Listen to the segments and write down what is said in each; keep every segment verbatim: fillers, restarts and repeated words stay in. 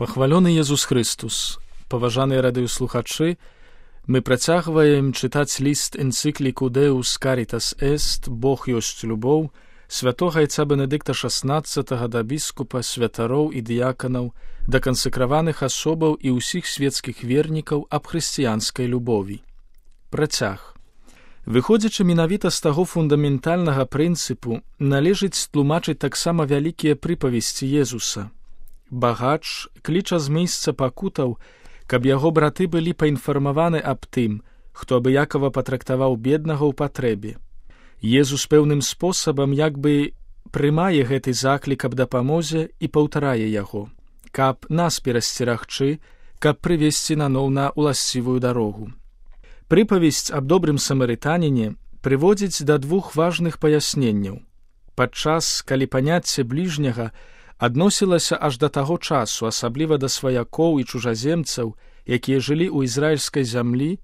Пахвалёны Езус Христус, паважаныя радыёслухачы, мы працягваем чытаць ліст энцыкліку Deus Caritas Est, Бог ёсць любоў, святога айца Бенедыкта шаснаццатага да біскупа, святароў і дыяканаў, да кансакраваных асобаў і ўсіх светскіх вернікаў аб хрысціянскай любові. Працяг. Выходзячы менавіта з таго фундаментальнага прынцыпу, належыць тлумачыць таксама вялікія прыпавесці Езуса. Багач кліча з месца пакутаў, каб яго браты былі паінфармаваны аб тым, хто абыякава патрактаваў беднага ў патрэбе. Езус пэўным спосабам як бы прымае гэты заклік аб дапамозе і паўтарае яго, каб нас перасцерагчы, каб прывесці наноў на ўласцівую дарогу. Прыпавесць аб добрым самарытаніне прыводзіць да двух важных паясненняў. Падчас, калі паняцце бліжняга адносілася аж да таго часу, асабліва да сваякоў і чужаземцаў, якія жылі ў ізраільскай зямлі,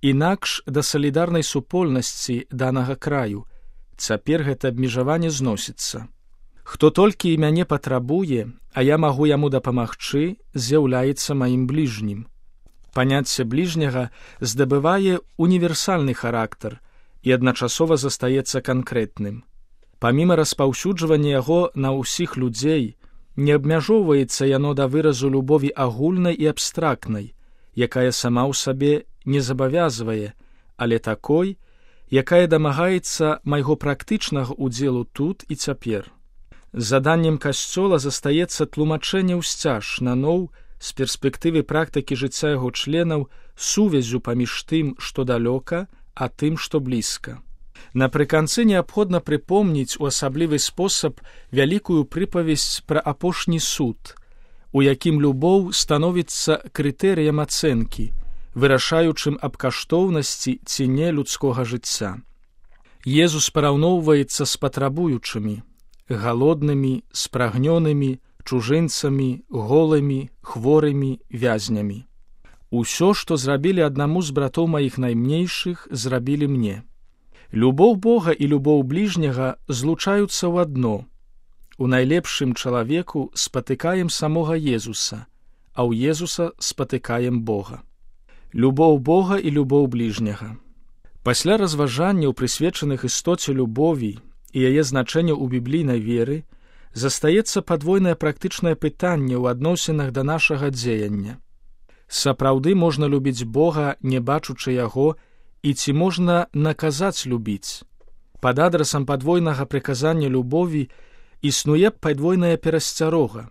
інакш да салідарнай супольнасці данага краю, цяпер гэта абмежаванне зносіцца. Хто толькі і мяне патрабуе, а я магу яму дапамагчы, з'яўляецца маім бліжнім. Паняцце бліжняга здабывае універсальны характар і адначасова застаецца канкрэтным. Паміма распаўсюджвання яго на ўсіх людзей, не абмяжоўваецца яно да выразу любові агульнай і абстрактнай, якая сама ў сабе не забавязвае, але такой, якая дамагаецца майго практычнага ўдзелу тут і цяпер. Заданнем касцёла застаецца тлумачэнне ўсцяж наноў з перспектывы практыкі жыцця яго членаў сувязю паміж тым, што далёка, а тым, што блізка. Напрыканцы неабходна прыпомніць у асаблівы спосаб вялікую прыпавесць пра апошні суд, у якім любоў становіцца крытэрыем ацэнкі, вырашаючым аб каштоўнасці ці не людскога жыцця. Езус параўноўваецца з патрабуючымі, галоднымі, спрагнёнымі, чужынцамі, голымі, хворымі, вязнямі. Усё, што зрабілі аднаму з братоў маіх наймнейшых, зрабілі мне. Любоў Бога і любоў бліжняга злучаюцца ў адно. У найлепшым чалавеку спатыкаем самога Езуса, а ў Езуса спатыкаем Бога. Любоў Бога і любоў бліжняга. Пасля разважанняў, прысвечаных істоце любові і яе значэння ў біблійнай веры, застаецца падвойнае практычнае пытанне ў адносінах да нашага дзеяння. Сапраўды можна любіць Бога, не бачучы яго, і ці можна наказаць любіць? Пад адрасам падвойнага прыказання любові існуе падвойная перасцярога,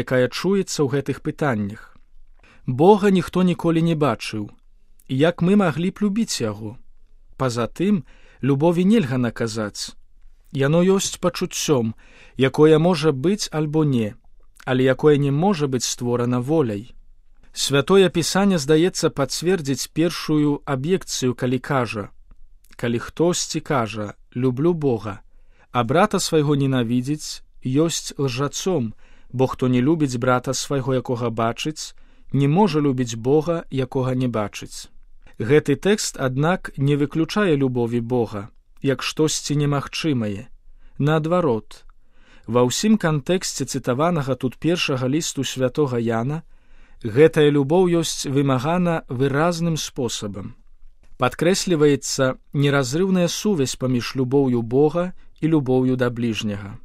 якая чуецца ў гэтых пытаннях. Бога ніхто ніколі не бачыў. Як мы маглі б любіць яго? Па-за тым, любові нельга наказаць. Яно ёсць пачуццём, якое можа быць альбо не, але якое не можа быць створана воляй. Святое Пісанне, здаецца, пацвердзіць першую аб'екцыю, калі кажа: калі хтосьці кажа «люблю Бога», а брата свайго ненавідзіць, ёсць лжацом, бо хто не любіць брата свайго, якога бачыць, не можа любіць Бога, якога не бачыць. Гэты тэкст, аднак, не выключае любові Бога, як штосьці немагчымае. Наадварот, ва ўсім кантэксце цытаванага тут першага лісту святога Яна гэтая любоў ёсць вымагана выразным спосабам. Падкрэсліваецца неразрыўная сувязь паміж любоўю Бога і любоўю да бліжняга.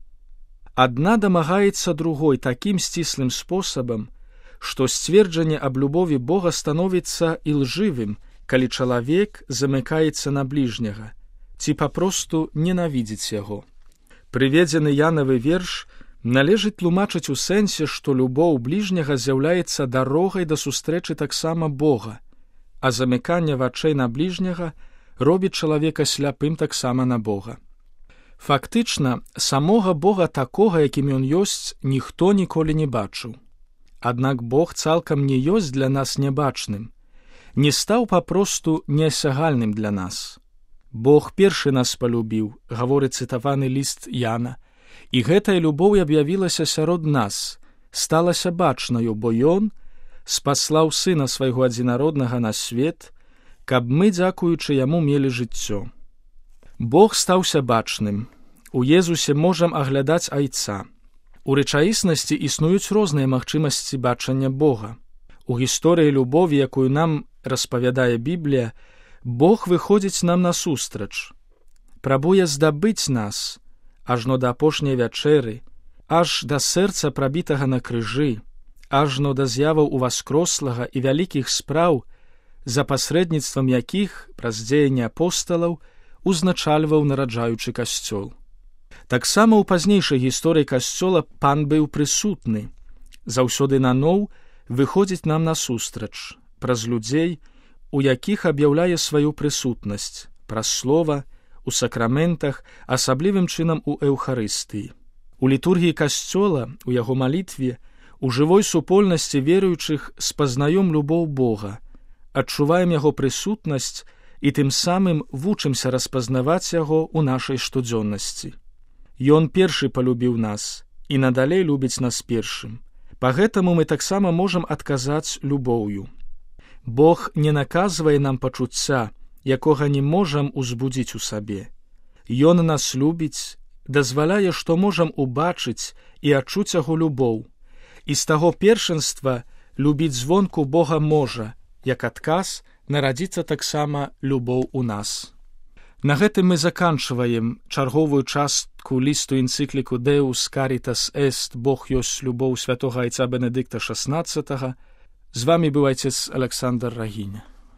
Адна дамагаецца другой такім сціслым спосабам, што сцверджанне аб любові Бога становіцца ілжывым, калі чалавек замыкаецца на бліжняга, ці папросту ненавідзіць яго. Прыведзены Янавы верш належыць тлумачыць у сэнсе, што любоў бліжняга з'яўляецца дарогай да сустрэчы таксама Бога, а замыканне вачэй на бліжняга робіць чалавека сляпым таксама на Бога. Фактычна, самога Бога такога, якім ён ёсць, ніхто ніколі не бачыў. Аднак Бог цалкам не ёсць для нас нябачным, не стаў папросту неасягальным для нас. Бог першы нас палюбіў, гаворыць цытаваны ліст Яна, і гэтая любоў аб'явілася сярод нас, сталася бачнаю, бо ён спаслаў сына свайго адзінароднага на свет, каб мы, дзякуючы яму, мелі жыццё. Бог стаўся бачным. У Езусе можам аглядаць айца. У рэчаіснасці існуюць розныя магчымасці бачання Бога. У гісторыі любові, якую нам распавядае Біблія, Бог выходзіць нам насустрач, прабуе здабыць нас, ажно да апошняй вячэры, аж да сэрца прабітага на крыжы, ажно да з'яваў уваскрослага і вялікіх спраў, за пасрэдніцтвам якіх праз дзеянні апосталаў узначальваў нараджаючы касцёл. Таксама ў пазнейшай гісторыі касцёла Пан быў прысутны, заўсёды наноў выходзіць нам насустрач, праз людзей, у якіх аб'яўляе сваю прысутнасць, праз слова, у сакраментах, асаблівым чынам у эўхарыстыі. У літургіі касцёла, у яго малітве, у жывой супольнасці веруючых спазнаём любоў Бога, адчуваем яго прысутнасць і тым самым вучымся распазнаваць яго ў нашай штодзённасці. Ён першы палюбіў нас і надалей любіць нас першым. Па гэтаму мы таксама можам адказаць любоўю. Бог не наказвае нам пачуцця, якога не можам узбудзіць у сабе. Ён нас любіць, дазваляе, што можам убачыць і адчуць яго любоў. І з таго першынства любіць звонку Бога можа, як адказ нарадзіцца таксама любоў у нас. На гэтым мы заканчваем чарговую частку лісту энцыкліку Deus Caritas Est, Бог ёсць любоў святога айца Бенедыкта шаснаццатага. З вамі быў айцец Александр Рагіня.